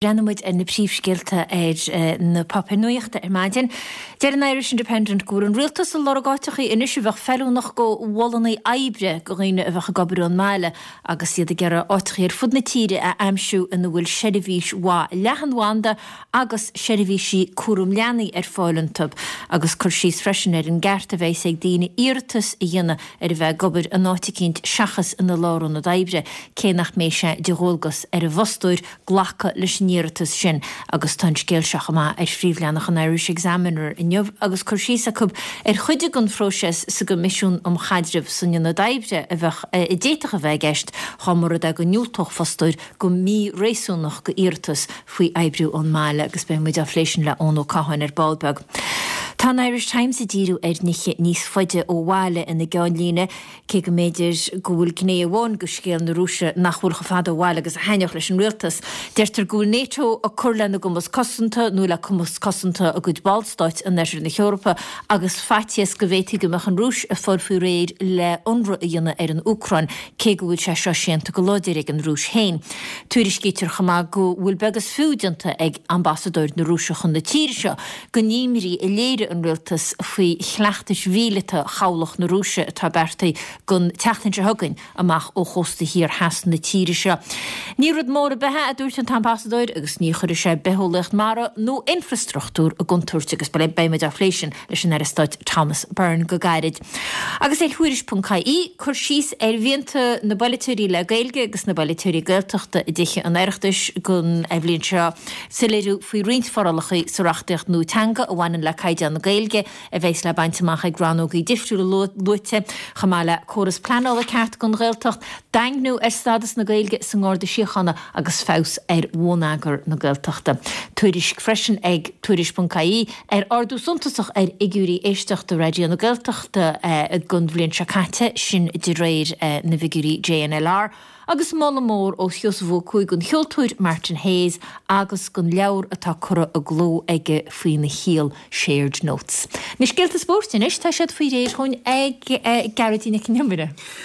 Breathnóidh muid ar na príomhscéalta ar na páipéir nuachta ar maidin. Deir an Irish Independent go bhfuil an rialtas ag lorg áiteachaí anois a bheadh feiliúnach go mhodhanna oibre go dhaoine a bheadh ag obair ón mbaile agus iad ag iarraidh áiteachaí ar fud na tíre a aimsiú ina bhfuil seirbhís mhaith leathanbhanda agus seirbhísí cúram leanaí ar fáil iontu agus cur síos freisin ar an gceart a bheas ag daoine iarratas a dhéanamh ar a bheith ag obair in áit eicínt seachas ina lárionad oibre cé nach mbeidh sé de dhualgas ar an bhfostóir glacadh leis an iarratas sin agus tá an scéal seo chomh maith ar phríomhleathanach an Irish Examiner inniu agus cur síos acu ar chuid den phróiseas sa gCoimisiún um Chaidreamh san Ionad Oibre a bheadh a d'fhéadfadh a bheith i gceist dá mba rud é go ndiúltódh fostóir go mí-réasúnach go iarratas faoi oibriú ón mbaile agus beidh muid á phlé sin le Eoin Ó Catháin ar ball beag. Tá an Irish Times ag díriú ar nithe níos faide ó bhaile ina gceannlíne. Cé go mb'fhéidir go bhfuil gné amháin de scéal na Rúise nach bhfuil chomh fada ó bhaile agus a thaitneodh leis an rialtas, deirtear go bhfuil NATO ag cur lena gcumas cosanta nó le cumas cosanta a gcuid ballstáit in oirthear na hEorpa agus faitíos go bhféadfaí go mbeadh an Rúis ag fáil faoi réir le ionradh a dhéanamh ar an Úcráin, cé go bhfuil sé seo séanta go láidir ag an Rúis féin. Tuairiscítear chomh maith go bhfuil beag is fiú déanta ag ambasadóir na Rúise chun na tíre seo den imní a léirigh an rialtas faoi chleachtais mhíleata chabhlach na Rúise atá beartaithe don tseachtain seo chugainn amach ó chósta thiar theas na tíre seo. Ní rud mór ar bith é, a dúirt an t-ambasadóir, agus ní chuirfidh sé bitheolaíocht mara nó infreastruchtúr i gcontúirt agus beidh muid á phlé sin leis an Aire Stáit Thomas Byrne go gairid. Agus ar Thuairisc ponc ie, cur síos ar mhianta na bpolaiteoirí le Gaeilge agus na bpolaiteoirí Gaeltachta i dTithe an Oireachtais don bhliain seo. Soiléiriú faoi roinnt forálacha sa reachtaíocht nua teanga a bhaineann le caighdeán na Gaeilge a bheas le baint amach ag rannógaí difriúla luaite, chomh maith le córas pleanála ceart don Ghaeltacht, daingniú ar stádas na Gaeilge sa nGarda Síochána agus feabhas ar bhonneagar na Gaeltachta. Tuairisc freisin ag Tuairisc.ie ar ardú suntasach ar fhigiúirí éisteachta Raidió na Gaeltachta don bhliain seo caite, sin de réir na bhfigiúirí JNLR. Agus moladh mór ó Sheosamh Ó Cuaig don cheoltóir Martin Hayes agus don leabhar atá curtha i gcló aige faoina shaol, Shared Notes. Na scéalta spóirt anois, tá siad faoi réir chugainn ag Gearóidín Nic an Iomaire.